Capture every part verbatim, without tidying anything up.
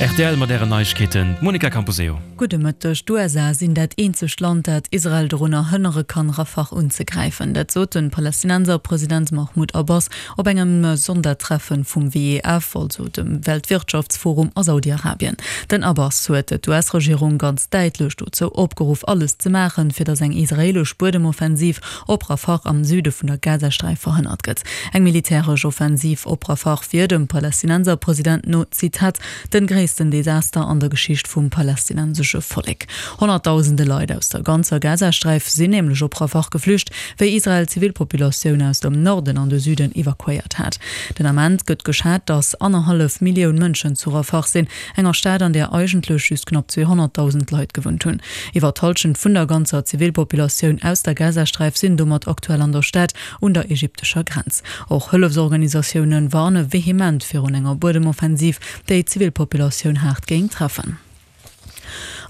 Rtl mat Ären Neiegkeeten, d'Monica Camposeo. Gudde Mëtteg. D'USA sinn dat eenzegt Land, dat Israel dorunner hënnere kann, Rafah unzegräifen. Dat sot de Palästinenser-President Mahmoud Abbas op engem Sondertreffen vum WEF, also dem Weltwirtschaftsforum a Saudi-Arabien. Den Abbas huet d'US-Regierung ganz däitlech dozou opgeruff, alles ze maachen, fir datt eng israeelesch Buedemoffensiv op Rafah am Süde vun der Gazasträif verhënnert gëtt. Eng militäresch Offensiv op Rafah wier dem Palästinenser-President no, Zitat, den gréissten Desaster an der Geschicht vum palästinensesche Vollek. Honnertdausende Leit aus der ganzer Gazasträif sinn nämlech op Rafah geflücht, wéi Israel d'Zivilpopulatioun aus dem Norden an de Süden evakuéiert hat. Den Ament gëtt geschat, datt annerhallef Millioun Mënschen zu Rafah sinn, enger Stad, an där eigentlech just knapp zweehonnertdausend Leit gewunnt hunn. Iwwer d'Hallschent vun der ganzer Zivilpopulatioun aus der Gazasträif sinn domat aktuell an der Stad un der ägyptescher Grenz. Och Hëllefsorganisatioune warne vehement virun enger Buedemoffensiv, déi d'Zivilpopulatioun haart géing treffen.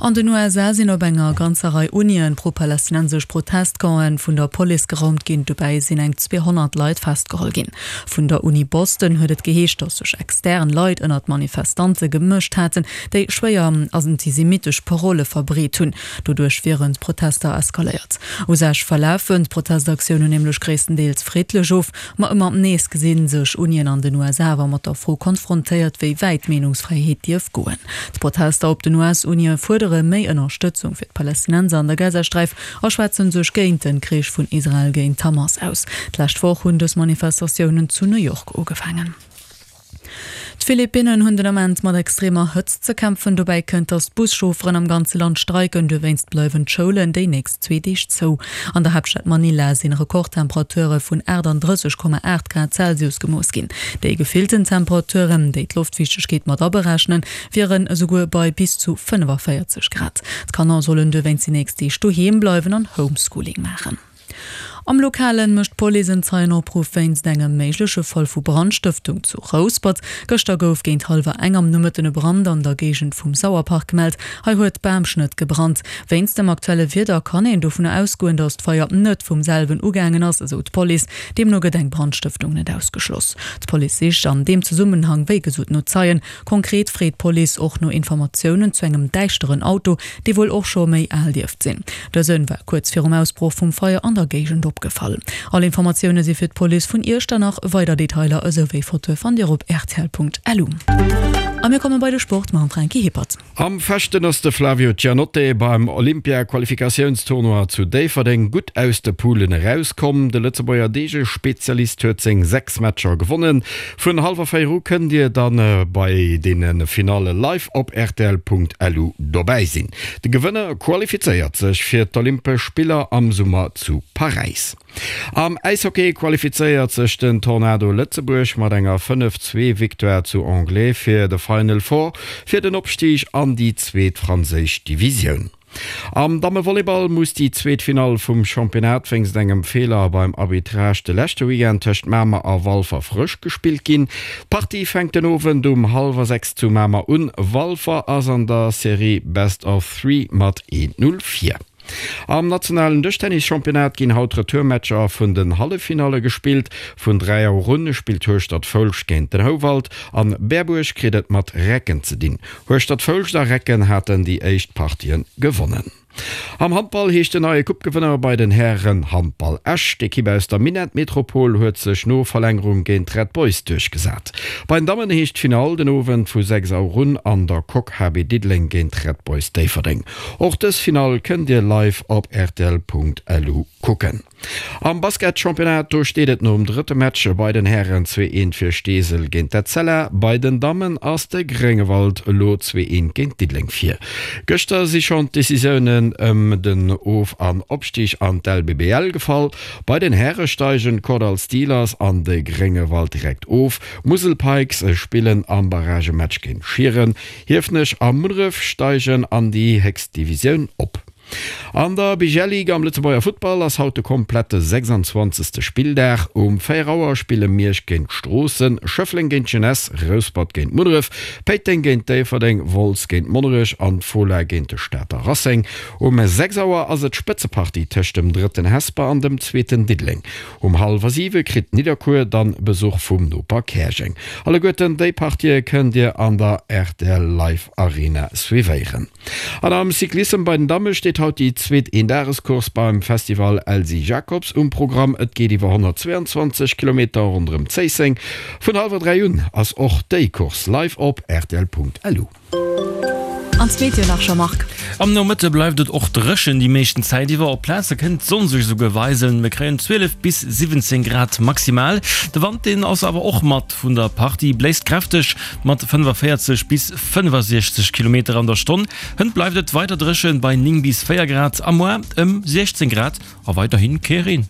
An den USA sinn op enger ganzer Rei Unien pro-palästinensesch Protestcampen vun der Police geraumt ginn. Dobäi sinn eng zweehonnert Leit festgeholl ginn. Vun der Uni Boston huet et geheescht, datt sech extern Leit ënnert d'Manifestante gemëscht haten, déi schwéier antisemittesch Parolle verbreet hunn. Doduerch wieren d'Protester eskaléiert. U sech verlafen d'Protestaktiounen nämlech gréisstendeels friddlech of, ma ëmmer nees gesi sech Unien an den USA awer mat der Fro konfrontéiert, wéi wäit d'Meenungsfräiheet dierf goen. D'Protester op den US-Unie fuerdere méi Ënnerstëtzung fir d'Palästinenser an der Gazasträif a schwätze sech géint den Krich vun Israel géint d'Hamas aus. D'lescht Woch hunn dës Manifestatiounen zu New York ugefaangen. D'Philippinnen hunn den Ament mat extremer Hëtzt ze kämpfen. Dobäi kënnt, datt d'Buschaufferen am ganze Land streiken. Dowéinst bleiwen d'Schoulen déi nächst zwee Deeg zou. An der Haaptstad Manila sinn Rekordtemperature vun aachtanddrësseg Komma aacht Grad Celsius gemooss ginn. Déi gefillten Temperaturen, déi d'Loftfiichtegkeet mat aberechnen, wieren esouguer bei bis zu fënnefavéierzeg Grad. D'Kanner sollen dowéinst déi nächst Deeg doheem bleiwen an Homeschooling maachen. Am Lokalen mécht d'Police en Zeienopruff wéinst engem méigleche Fall vu Brandstëftung zu Rouspert. Gëschter gouf géint hallwer eng am Nomëtten e Brand an der Géigend vum Sauerpark gemellt. Hei huet Bamschnëtt gebrannt. Wéinst dem aktuelle Wieder kann een dovunner ausgoen, datt d'Feier net vum selwen ugaangen ass, esou d'Police. Deemno gëtt eng Brandstëftung net ausgeschloss. D'Police sicht an deem Zesummenhang wéi gesot no Zeien. Konkret freet d'Police och no Informatiounen zu engem däischteren Auto, dee wuel och scho méi al dierft sinn. Dësen war kuerz virum Ausbroch vum Feier an der Géigend opgefall. All Informatioune si fir d'Police vun Iechternach. Weider Detailer esou wéi Fotoe fannt Dir op rtl.lu. A mir komme bei de Sport mam Franky Hippert. Am Fechten ass de Flavio Giannotte beim Olympia-Qualifikatiounstournoi zu Déifferdeng gutt aus de Poulen erauskomm. De Lëtzebuerger Deegespezialist huet seng sechs Matcher gewonnen. Vun hallwer véier u kënnt Dir dann bei deene Finalle live op rtl.lu dobäi sinn. De Gewënner qualifizéiert sech fir d'Olympesch Spiller am Summer zu Paräis. Am Äishockey qualifizéiert sech den Tornado Lëtzebuerg mat enger fënnef zwee Victoire zu Anglet fir de Final Four fir den Opstig an déi zweet franséisch Divisioun. Am Dammevolleyball muss déi zweet Finall vum Championnat wéinst engem Feeler beim Arbitrage de leschte Weekend tëscht Mamer a Walfer frësch gespillt ginn. D'Partie fänkt den Owend um hallwer sechs zu Mamer un. Walfer ass an der Serie Best of Three mat een Null vir. Am nationalen Dëschtennis-Championnat ginn haut d'Retourmatcher vun den Halleffinalle gespillt. Vun dräi Auer un spillt Hueschtert-Foulscht géint den Houwald an Berbuerg kritt et mat Recken ze dinn. Hueschtert-Foulscht a Recken haten déi éischt Partien gewonnen. Am Handball heescht den neie Coupe-Gewënner bei den Hären Handball Esch. D'Ekipp aus der Minettmetropol huet sech no Verlängerung géint d'Red Boys duerchgesat. Bei den Dammen heescht d'Finall den Owend vu sechs Auer un an der Coque H B Diddeleng géint d'Red Boys Déifferdeng. Och dës Finall kënnt Dir live op rtl.lu kucken. Am Basketchampionnat, do steet et nom drëtte Match bei den Hären zwee eent fir Steesel géint d'Etzella. Bei den Dammen ass de Gréngewald elo zwee eent géint Diddeleng vir. Gëschter si schonn d'Decisiounen ëm den Of an Opstig an d'L B B L gefall. Bei den Häre steigen d'Kordall Steelers an de Gréngewald direkt of. D'Musel Pikes spillen am Barragematch géint Schieren. Hiefenech a Munneref steigen an déi héchst Divisioun op. An der B G L Liga am Lëtzebuerger Futtball ass haut de komplette sechsanzwanzegste Spilldag. Um véier Auer spille Miersch géint Stroossen, Schëffleng géint d'Jeunesse, Rouspert géint Munneref, Péiteng géint Déifferdeng, Wolz géint Monnerech an d'Fola géint de Stater Racing. Um sechs Auer ass et d'Spëtzepartie tëscht dem drëtten Hesper an dem zweeten Diddeleng. Um hallwer siwe kritt Nidderkuer dann Besuch vum Noper Käerjeng. Alleguerten déi Partië kënnt Dir an der R T L Live Arena suivéieren. An am Cyclissem bei den Damme steet haut déi zweet Eendagescourse beim Festival Elsy Jacobs um Programm. Et geet iwwer honnertzweeanzwanzeg Kilometer ronderëm Zéisseng. Vun hallwer dräi un ass och déi Course live op rtl.lu. An d'Meteo nach, Jean-Marc. Am Nomëtte bleift et och dréchen déi meeschten Zäit iwwer. Op Plaze kënnt d'Sonn sech esouguer weisen. Mir kréien zwielef bis siwwenzéng Grad maximal. De Wand, deen ass awer och mat vun der Partie, bléist kräfteg mat fënnefavéierzeg bis fënnefasiechzeg Kilometer an der Stonn. Hënt bleift et weider dréchen bei néng bis véier Grad a muer ëm siechzéng Grad a weiderhi kee Reen.